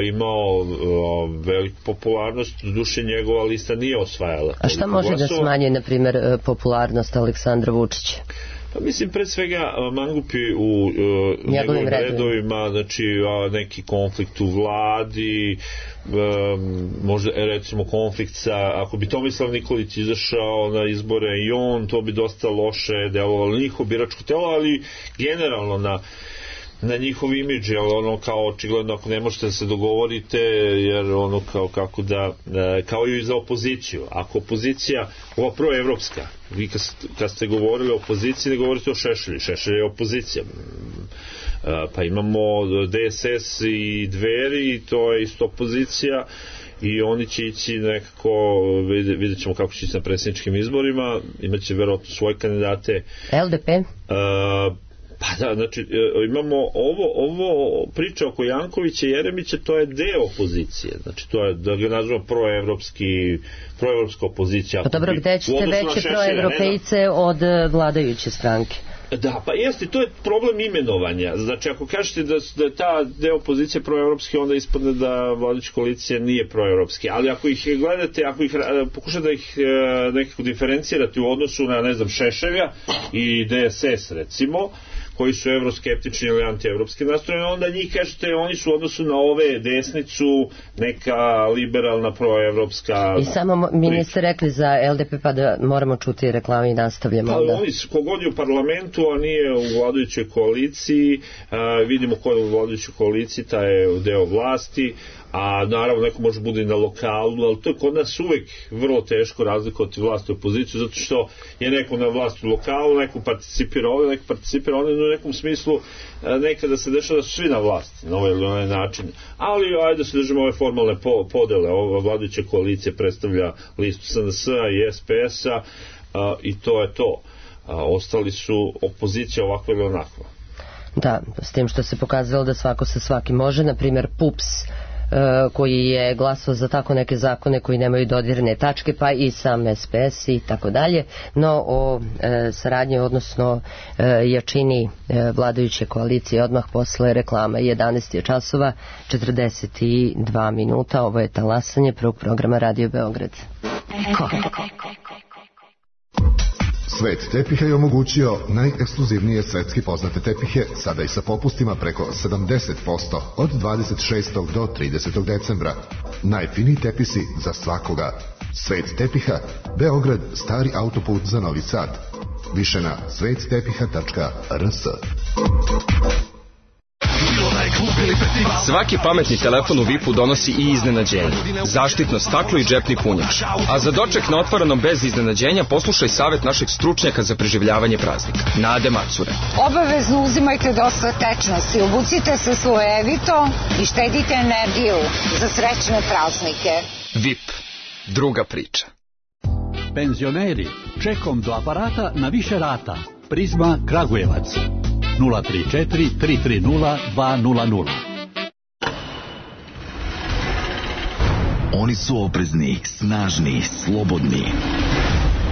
imao a, veliku popularnost, duše njegova lista nije osvajala. A šta može glasova. Da smanji, na primjer, popularnost Aleksandra Vučića? Pa mislim, pre svega mangupi u uh, njegovim redovima, znači uh, neki konflikt u vladi, um, možda recimo konflikt sa, ako bi Tomislav Nikolić izašao na izbore i on, to bi dosta loše delovalo njihov biračko telo, ali generalno na na njihov imidž, jer ono kao očigledno ako ne možete da se dogovorite, jer ono kao kako da, kao i za opoziciju. Ako opozicija, ova proevropska, vi kad, kad ste govorili o opoziciji, ne govorite o Šešelju, Šešelj je opozicija. Pa imamo D S S i Dveri, i to je isto opozicija, i oni će ići nekako, vidjet ćemo kako će ići na predsjedničkim izborima, imaće verovatno svoje kandidate. L D P? Uh, Pa da, znači imamo ovo, ovo priča oko Jankovića i Jeremića, to je deo opozicije, znači to je, da ga nazvamo proevropski, proevropska opozicija. Pa dobro, gde ćete veće proevropejce od vladajuće stranke? Da, pa jeste, to je problem imenovanja. Znači, ako kažete da, da je ta deo opozicije proevropski, onda ispadne da vladajuća koalicija nije proevropski. Ali ako ih gledate, ako ih pokušate da ih nekako diferencirate u odnosu na, ne znam, Šešelja i D S S, recimo, koji su evroskeptični ili antievropski nastrojeni, onda njih kažete, oni su u odnosu na ove desnicu neka liberalna proevropska. I samo mi niste rekli za L D P, pa da moramo čuti reklame i nastavljamo. Pa oni su, kogod je u parlamentu, a nije u vladajućoj koaliciji, a, vidimo ko je u vladajućoj koaliciji, ta je deo vlasti, a naravno neko može bude i na lokalu, ali to je kod nas uvek vrlo teško razlikovati vlast i opoziciju, zato što je neko na vlasti u lokalu, neko participira ovdje, neko participira ovdje, no u nekom smislu nekada se dešava da su svi na vlasti na ovaj ili onaj način, ali ajde da se držimo ove formalne podele. Ova vladajuća koalicija predstavlja listu S N S-a i S P S-a a, i to je to. A, ostali su opozicija ovakva ili onakva. Da, s tim što se pokazalo da svako sa svakim može, na primjer P U P S koji je glasao za tako neke zakone koji nemaju dodirne tačke, pa i sam S P S i tako dalje, no o e, saradnji, odnosno e, jačini e, vladajuće koalicije odmah posle reklama. jedanaest je časova, četrdeset dva minuta, ovo je talasanje prvog programa Radio Beograd. Ko? Svet tepiha je omogućio najekskluzivnije svetski poznate tepihe, sada i sa popustima preko sedamdeset posto od dvadeset šestog do tridesetog decembra. Najfiniji tepisi za svakoga. Svet tepiha, Beograd, stari autoput za Novi Sad. Više na svet tepiha tačka r s. Svaki pametni telefon u V I P-u donosi i iznenađenje. Zaštitno staklo i džepni punjač. A za doček na otvorenom bez iznenađenja poslušaj savjet našeg stručnjaka za preživljavanje praznika, Nade Macure. Obavezno uzimajte dosta tečnosti, obucite se slojevito i štedite energiju za srećne praznike. V I P. Druga priča. Penzioneri, čekom do aparata na više rata. Prizma Kragujevac. nula tri četiri tri tri nula dva nula nula. Oni su oprezni, snažni, slobodni.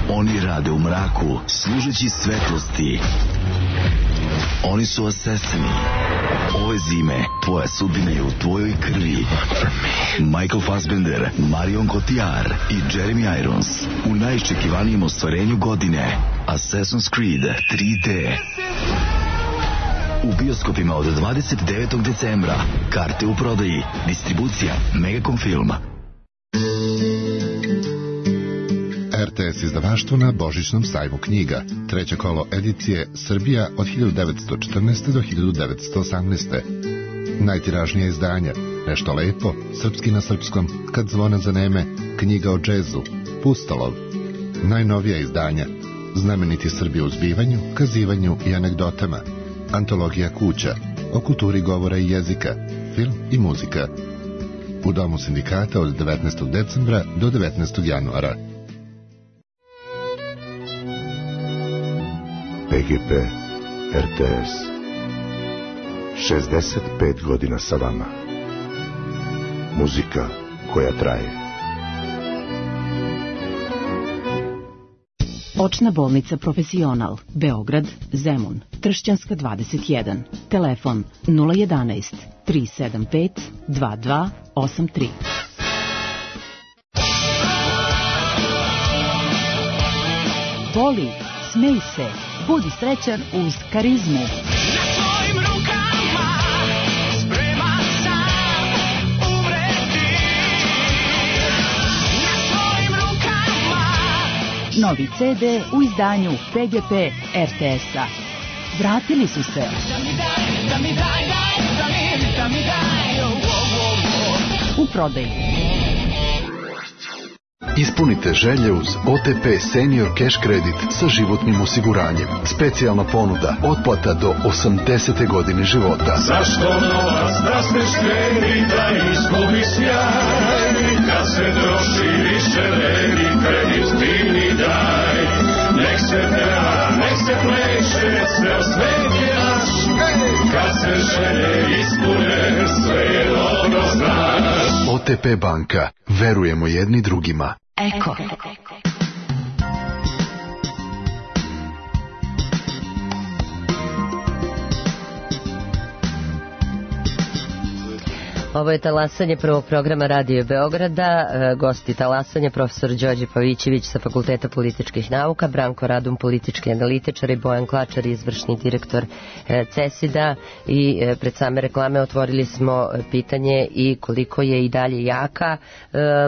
Oni rade u mraku, služeći svetlosti. Oni su asesini. Ove zime tvoja sudbina je u tvojoj krvi. Michael Fassbender, Marion Cotillard i Jeremy Irons u najiščekivanijem ostvarenju godine, Assassin's Creed tri D. U bioskopima od dvadeset devetog decembra. Karte u prodaji. Distribucija Megacom Film. R R T S izdavaštvo na Božićnom sajmu knjiga. Treće kolo edicije Srbija od hiljadu devetsto četrnaeste. do hiljadu devetsto osamnaeste. Najtiražnija izdanja: Nešto lepo, Srpski na srpskom, Kad zvona zaneme, Knjiga o džezu, Pustolov. Najnovija izdanja: Znameniti Srbi u zbivanju, kazivanju i anegdotama, Antologija kuća, o kulturi govora i jezika, film i muzika. U Domu sindikata od devetnaestog decembra do devetnaestog januara. P G P R T S šezdeset pet godina sa vama. Muzika koja traje. Očna bolnica Profesional, Beograd, Zemun, Tršćanska dvadeset jedan. Telefon nula jedanaest tri sedam pet dva dva osam tri. Voli, smej se, budi srećan uz Karizmu. Novi C D u izdanju P G P R T S-a. Vratili su se. U prodaju. Ispunite želje uz O T P Senior Cash Credit sa životnim osiguranjem. Specijalna ponuda, otplata do osamdesete godine života. Zašto novac da se štedi, da izgubi sjaj? Kad se troši više vredi, kredit ti mi daj. Nek se peva, nek se pleše, sve svet je naš. Kad se želje ispune, sve je dobro znaš. O T P banka, verujemo jedni drugima. Eko. Ovo je talasanje prvog programa Radio Beograda. Gosti talasanje profesor Đorđe Pavićević sa Fakulteta političkih nauka, Branko Radum, politički analitičar, i Bojan Klačar, izvršni direktor CESID-a. I pred same reklame otvorili smo pitanje i koliko je i dalje jaka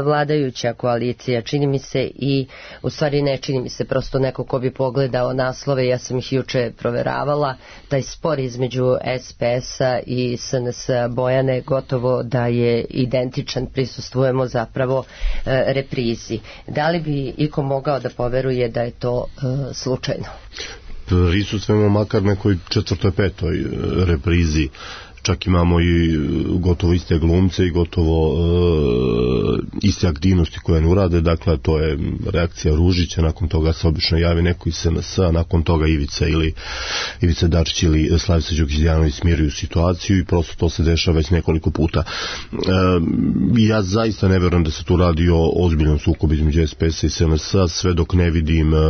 vladajuća koalicija. Čini mi se, i u stvari ne čini mi se, prosto neko ko bi pogledao naslove, ja sam ih juče proveravala, taj spor između S P S-a i S N S-a, Bojane, gotovo da je identičan, prisustvujemo zapravo e, reprizi. Da li bi iko mogao da poveruje da je to e, slučajno? Prisustvujemo makar nekoj četvrtoj, petoj reprizi. Čak imamo i gotovo iste glumce i gotovo e, iste aktivnosti koje ne urade. Dakle, to je reakcija Ružića, nakon toga se obično javi neko iz S N S-a, nakon toga Ivica ili Ivica Dačić ili Slavica Đukić-Dejanović smiruju situaciju i prosto to se dešava već nekoliko puta. E, ja zaista ne verujem da se tu radi o ozbiljnom sukobu između S P S-a i S N S-a, sve dok ne vidim e, e,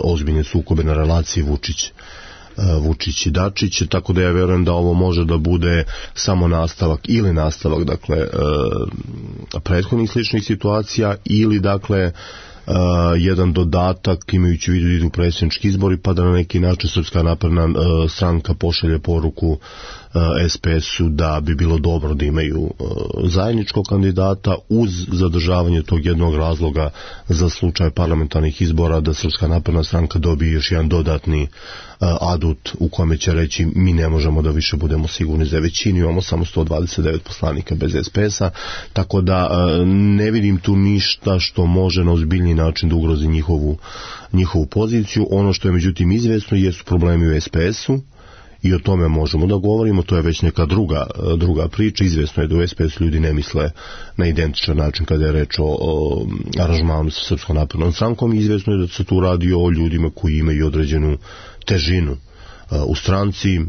ozbiljne sukobe na relaciji Vučić Vučić i Dačić, tako da ja verujem da ovo može da bude samo nastavak ili nastavak, dakle, prethodnih sličnih situacija, ili, dakle, Uh, jedan dodatak, imajući u vidu idu predsjednički izbori, pa da na neki način Srpska napredna uh, stranka pošalje poruku uh, S P S-u da bi bilo dobro da imaju uh, zajedničkog kandidata, uz zadržavanje tog jednog razloga za slučaj parlamentarnih izbora, da Srpska napredna stranka dobije još jedan dodatni uh, adut u kome će reći mi ne možemo da više budemo sigurni za većinu, imamo samo sto dvadeset devet poslanika bez S P S-a, tako da uh, ne vidim tu ništa što može na ozbiljni način da ugrozi njihovu, njihovu poziciju. Ono što je međutim izvesno jesu problemi u S P S-u i o tome možemo da govorimo, to je već neka druga, druga priča. Izvesno je da u S P S ljudi ne misle na identičan način kada je reč o, o aranžmanu sa Srpskom naprednom strankom. Izvesno je da se tu radi o ljudima koji imaju određenu težinu uh, u stranci.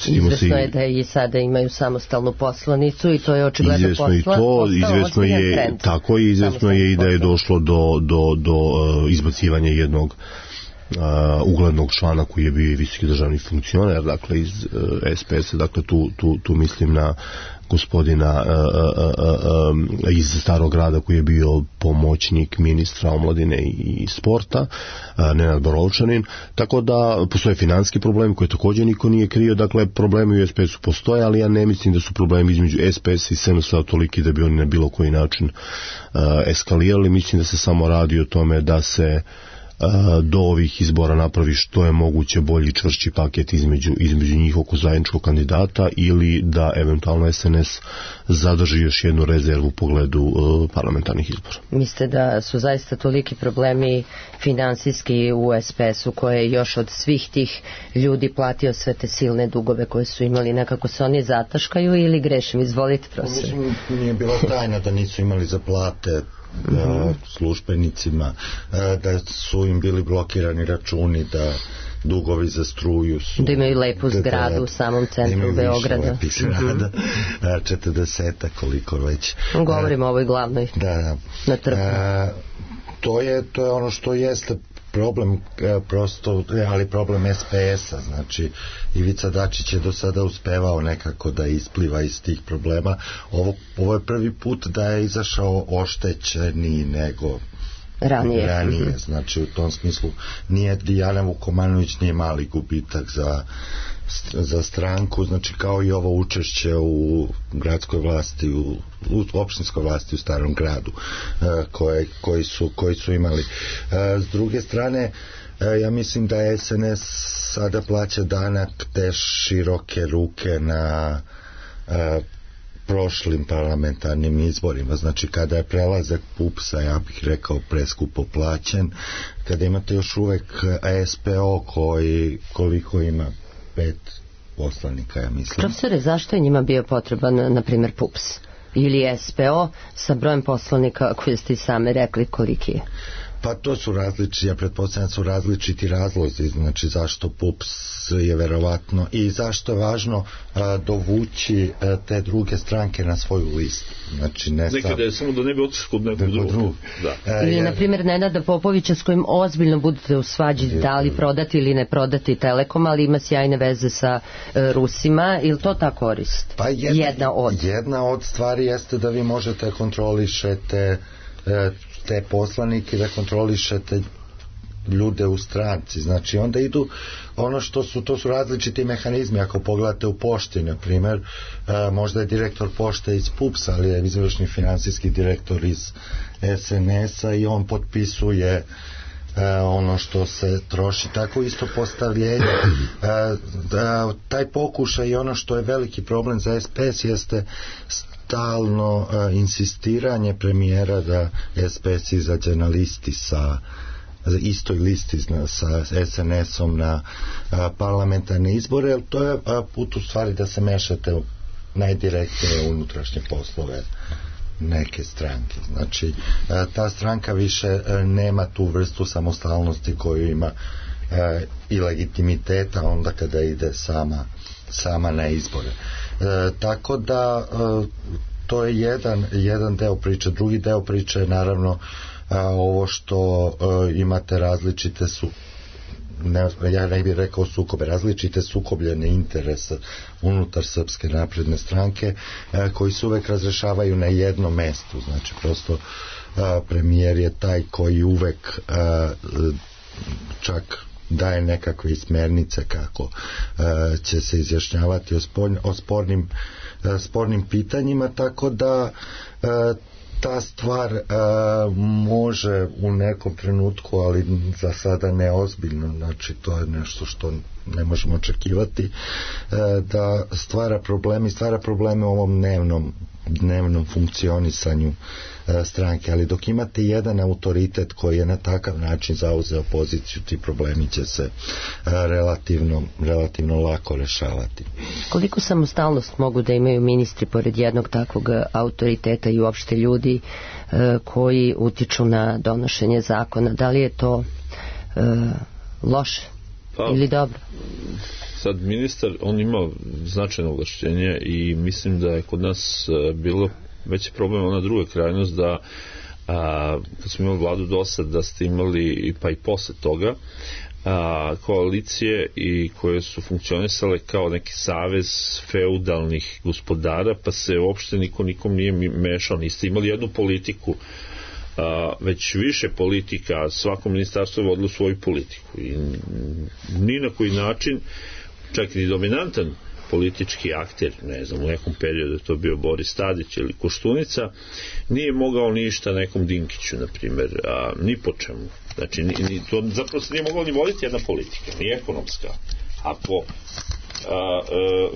Izvesno je da i sada imaju samostalnu poslanicu i to je očigledno izvesno posla, i to, izvesno je trend. Tako je, izvesno je i da je došlo do, do, do uh, izbacivanja jednog uh, uglednog člana koji je bio visoki državni funkcioner, dakle iz uh, S P S-a, dakle tu, tu, tu mislim na gospodina uh, uh, uh, iz Starog grada koji je bio pomoćnik ministra omladine i sporta, uh, Nenad Borovčanin, tako da postoje financijski problemi koje također niko nije krio, dakle problemi u S P S-u postoje, ali ja ne mislim da su problemi između S P S i S N S-a toliki da bi oni na bilo koji način uh, eskalirali. Mislim da se samo radi o tome da se do ovih izbora napravi što je moguće bolji čvršći paket između, između njihovog zajedničkog kandidata ili da eventualno S N S zadrži još jednu rezervu u pogledu uh, parlamentarnih izbora. Mislite da su zaista toliki problemi finansijski u S P S-u koje je još od svih tih ljudi platio sve te silne dugove koje su imali, nekako se oni zataškaju ili grešim? Izvolite, profesor. Mislim, nije bila tajna da nisu imali za plate Uh, službenicima, uh, da su im bili blokirani računi, da dugovi za struju su, da imaju lepu zgradu da, u samom centru Beograda, imaju više lepih zgrada, uh, četrdeseta koliko već. Govorimo uh, o ovoj glavnoj da, na trgu. Uh, to je, to je ono što jeste problem, prosto, ali problem S P S-a, znači Ivica Dačić je do sada uspevao nekako da ispliva iz tih problema. Ovo, ovo je prvi put da je izašao oštećeniji nego ranije, ranije. Znači u tom smislu nije Dijana Vukomanović nije mali gubitak za za stranku, znači kao i ovo učešće u gradskoj vlasti, u, u opštinskoj vlasti u Starom gradu koje, koji, su, koji su imali. S druge strane, ja mislim da S N S sada plaća danak te široke ruke na prošlim parlamentarnim izborima, znači kada je prelazak P U P S-a, ja bih rekao preskupo plaćen, kada imate još uvek S P O koji koliko ima pet poslanika, ja mislim. Profesore, zašto je njima bio potreban, na primjer, P U P S ili S P O sa brojem poslanika koje ste i same rekli koliki je? Pa to su različiti, ja pretpostavljam su različiti razlozi, znači zašto P U P S je verovatno i zašto je važno a, dovući a, te druge stranke na svoju listu. Znači ne nekada je samo da ne bi otišli kod nekog drugog. Drug. Da. Ili je... na primjer Nenada Popovića s kojim ozbiljno budete u svađi da li prodati ili ne prodati Telekom, ali ima sjajne veze sa e, Rusima, ili to ta korist? Pa jedna, jedna od. Jedna od stvari jeste da vi možete kontrolišete e, te poslanike, da kontrolišete ljude u stranci, znači onda idu ono što su, to su različiti mehanizmi. Ako pogledate u pošti, na primjer, e, možda je direktor pošte iz P U P S-a, ali je izvršni finansijski direktor iz S N S-a i on potpisuje E, ono što se troši, tako isto postavljenje. E, da, taj pokušaj i ono što je veliki problem za S P S jeste stalno e, insistiranje premijera da S P S izađe na listi sa istoj listi sa S N S-om na a, parlamentarne izbore, jer to je a, put u stvari da se mešate najdirektnije u unutrašnje poslove neke stranke. Znači, ta stranka više nema tu vrstu samostalnosti koju ima i legitimiteta onda kada ide sama, sama na izbore. Tako da to je jedan, jedan deo priče. Drugi deo priče je naravno ovo što imate različite su ne, ja ne bih rekao sukobe, različite sukobljene interese unutar Srpske napredne stranke e, koji se uvek razrešavaju na jednom mestu, znači prosto a, premijer je taj koji uvek a, čak daje nekakve smernice kako a, će se izjašnjavati o, spor, o spornim, a, spornim pitanjima, tako da a, ta stvar a, može u nekom trenutku, ali za sada neozbiljno, znači to je nešto što ne možemo očekivati, a, da stvara problemi, stvara probleme u ovom dnevnom, dnevnom funkcionisanju a, stranke, ali dok imate jedan autoritet koji je na takav način zauzeo poziciju, ti problemi će se a, relativno, relativno lako rešavati. Koliko samostalnost mogu da imaju ministri pored jednog takvog autoriteta i uopšte ljudi e, koji utiču na donošenje zakona? Da li je to e, loše pa, ili dobro? Sad ministar, on ima značajno ovlašćenje i mislim da je kod nas bilo veći problem ona druga krajnost da a, kad smo imali vladu do sad da ste imali pa i posle toga a, koalicije i koje su funkcionisale kao neki savez feudalnih gospodara, pa se uopšte niko nikom nije mešao. Niste imali jednu politiku, a, već više politika, svako ministarstvo je vodilo svoju politiku i ni na koji način, čak i dominantan politički akter, ne znam, u nekom periodu je to bio Boris Tadić ili Koštunica, nije mogao ništa nekom Dinkiću, na primjer, a, ni po čemu. Znači, ni, ni, to zapravo se nije mogla ni voditi jedna politika, ni ekonomska. Ako a, a,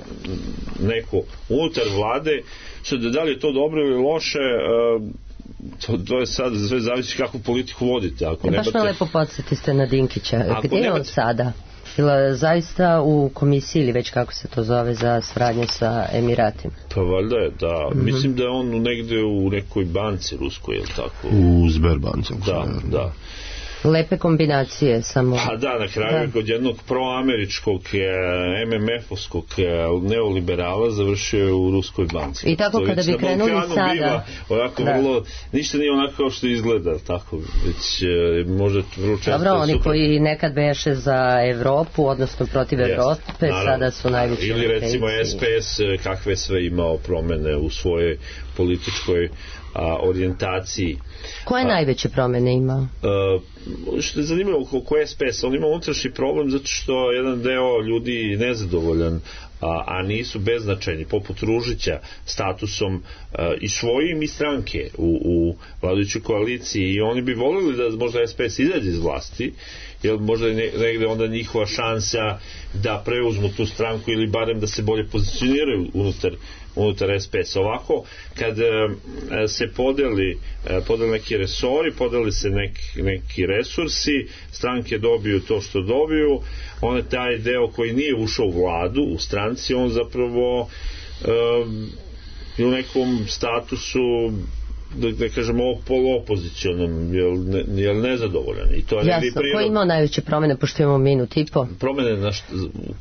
neko unutar vlade, što da li je to dobro ili loše, a, to, to je sad sve zavisi kakvu politiku vodite. Ako e, baš nemate... me lepo podsjeti ste na Dinkića. Ako Gdje je nemate... on sada? Bila zaista u komisiji ili već kako se to zove za saradnje sa Emiratima? Pa valjda je, da. Mm-hmm. Mislim da je on negde u nekoj banci ruskoj, ili tako? U Sberbanci. Da, da. Lepe kombinacije samo. Pa da, na kraju da. Kod jednog proameričkog em em ef-ovskog neoliberala završio je u ruskoj banci. I tako kada bi krenuli sada biva, onako da. Vrlo, ništa nije onako kao što izgleda, tako, već možda vrlo često. Dobro, oni super. Koji nekad beše za Evropu, odnosno protiv yes, Evrope, naravno. Sada su najveći. Ili recimo es pe es kakve sve imao promene u svojoj političkoj a, orijentaciji. Koje a, najveće promene imao? A, što je zanimljivo oko es pe es, on ima unutrašnji problem zato što jedan deo ljudi nezadovoljan, a, a nisu beznačajni, poput Ružića, statusom a, i svojim i stranke u, u vladajućoj koaliciji, i oni bi volili da možda es pe es izađe iz vlasti, jer možda je negde onda njihova šansa da preuzmu tu stranku ili barem da se bolje pozicioniraju unutar unutar es pe es. Ovako, kad e, se podeli, e, podeli neki resori, podeli se neki, neki resursi, stranke dobiju to što dobiju, on je taj deo koji nije ušao u vladu, u stranci, on zapravo e, u nekom statusu, da, da kažemo, poluopozicionom, jel, ne, jel nezadovoljan. I to je jasno, ko je imao najveće promene, pošto imamo minut i po? Promene na što,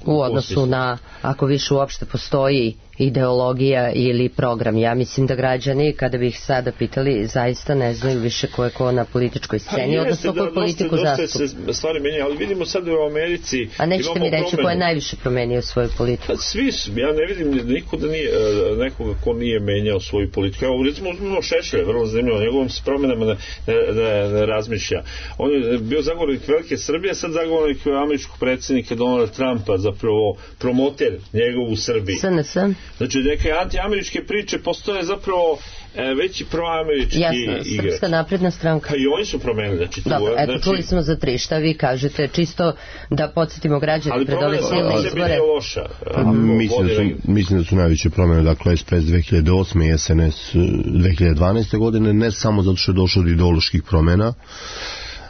u odnosu na, ako više uopšte postoji ideologija ili program. Ja mislim da građani, kada bi ih sada pitali, zaista ne znaju više ko je ko na političkoj sceni, odnosno koju da, politiku zastupa. Dosta se stvari menja, ali vidimo sad u Americi. A nećete mi reći ko je najviše promenio svoju politiku? Pa svi su, ja ne vidim niko da nije, nekoga ko nije menjao svoju politiku. Evo, recimo, uzmimo Šešelja, vrlo zanimljivo, njegovim se promenama ne, ne, ne, ne razmišlja. On je bio zagovornik velike Srbije, sad zagovornik američkog predsjednika Donalda Trumpa, zapravo promoter njegov u Srbiji. es en es. Znači, neke antiameričke priče postoje zapravo e, veći proamerički igre. Jasno, Srpska napredna stranka. Pa i oni su promenili. Znači, tu, dobro, eto, znači, čuli smo za tri, šta vi kažete, čisto da podsjetimo građane pred ove silne izbore. Loša, mislim, da su, mislim da su najveće promjene, dakle, es pe es dve hiljade osme i es en es dve hiljade dvanaeste godine, ne samo zato što je došlo do ideoloških promjena,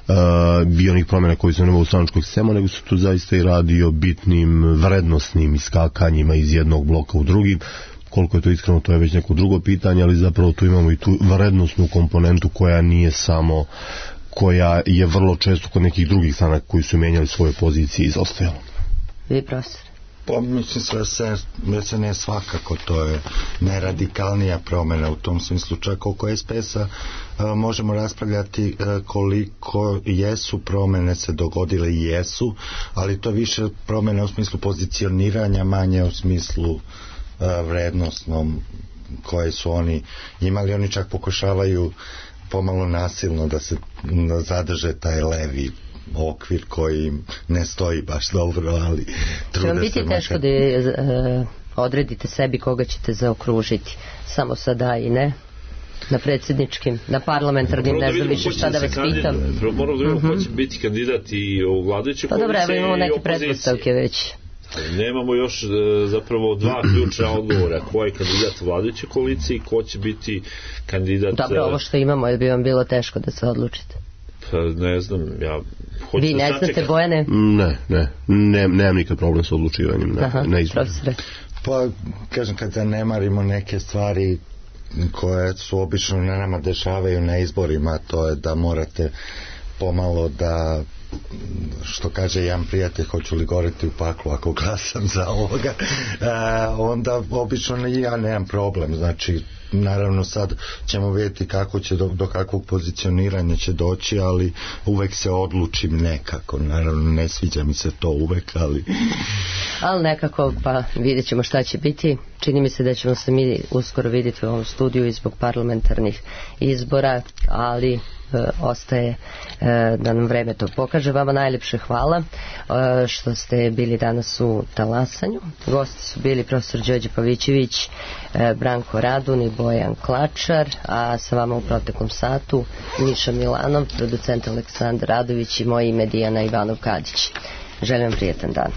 Uh, bio onih promjena koji su nema u stranačkog sistema, nego su tu zaista i radi o bitnim vrednostnim iskakanjima iz jednog bloka u drugi. Koliko je to iskreno, to je već neko drugo pitanje, ali zapravo tu imamo i tu vrednostnu komponentu koja nije samo, koja je vrlo često kod nekih drugih stranaka koji su menjali svoje pozicije izostajala. Vi, profesor? Pa mislim da se ne svakako, to je najradikalnija promjena u tom smislu, čak oko es pe es-a a, možemo raspravljati a, koliko jesu promjene se dogodile i jesu, ali to više promjene u smislu pozicioniranja, manje u smislu a, vrednostnom koje su oni imali. Oni čak pokušavaju pomalo nasilno da se da zadrže taj levi okvir koji ne stoji baš dobro, ali trude se. Će vam biti teško da e, odredite sebi koga ćete zaokružiti? Samo sada i ne? Na predsjedničkim, na parlamentarnim, ne znam više šta da vas pitam. Moramo da vidimo ko će biti kandidat i u vladajućoj koalicije. Pa dobro, evo imamo neke pretpostavke već. Nemamo još zapravo dva ključna odgovora. Ko je kandidat vladajuće koalicije i ko će biti kandidat... Dobro, ovo što imamo je bi vam bilo teško da se odlučite. Pa ne znam, ja hoću vi ne da znate, Bojane? Ne, ne, ne, nemam nikad problem sa odlučivanjem. Ne, aha, ne profesore. Pa, kažem, kad zanemarimo neke stvari koje su obično na nama dešavaju na izborima, to je da morate pomalo da, što kaže jedan prijatelj, hoću li goreti u paklu ako glasam za ovoga, e, onda obično ja nemam problem, znači naravno sad ćemo vidjeti kako će do, do kakvog pozicioniranja će doći, ali uvek se odlučim nekako, naravno ne sviđa mi se to uvek, ali ali nekako pa vidjet ćemo šta će biti. Čini mi se da ćemo se mi uskoro vidjeti u ovom studiju i zbog parlamentarnih izbora, ali E, ostaje e, da nam vreme to pokaže. Vama najljepše hvala e, što ste bili danas u Talasanju. Gosti su bili profesor Đorđe Pavićević, e, Branko Radun i Bojan Klačar, a sa vama u proteklom satu Miša Milanov, producent Aleksandar Radović i moje ime Dijana Ivanov Kadić. Želim vam prijetan dan.